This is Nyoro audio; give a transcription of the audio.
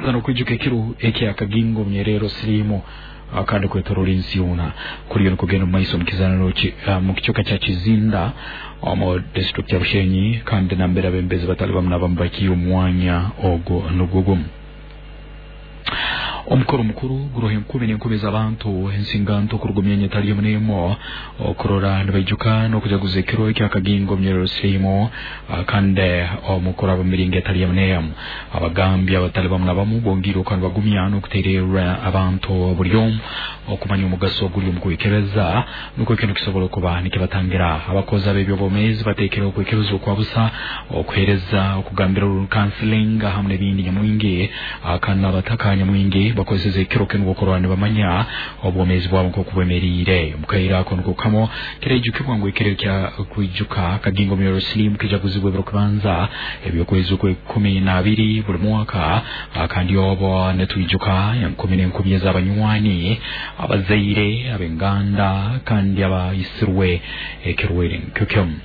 Nokwijuka ekiro ekyakagingo omunyerero siriimu kandi kwetorora ensi yoona kuriyo nikugenda omu maiso mu kicweka kya Kizinda omu district ya Bushenyi, kandi nambere abembezi batali bamu nabamu bakiire omwanya ogwo nugwo gumu. Omukoro mukuru guroho enkumi n'enkumi z'abantu ensinganto okuruga myanya etali emu n'emu okurora nibaijuka n'okujaguza ekiro ekyakagingo omunyerero siriimu, kandi omukuraba mu miringo etali emu n'emu. Abagambi abatali bamu na bamu bongiire okuba nibagumya n'okuteererra abantu buli omu okumanya omugaso oguli omu kwekebeza, nukwo kinu kisobole okuba nikibatangira. Abakozi ab'ebyobwomeezi bateekereho okwekebeza okwa busa, okuheereza okugambira counseling hamu n'ebindi nyamwingi, kandi n'abataka nyamwingi bakozeseze ekiro kinu okurora nibamanya obwomeezi bwabo nk'oku bwemeriire. Omu kaire ako niko kamo kiraijukibwa ngu ekiro kya kwijuka kagingo munyoro silimu kijaguzibwa ebiro kubanza eby'okwezi okw'e12 buli mwaka, kandi obo nitwijuka enkumi n'enkumi ez'abanywani, abazaire, ab'enganda kandi abaisirwe ekirwaire nkyo kimu.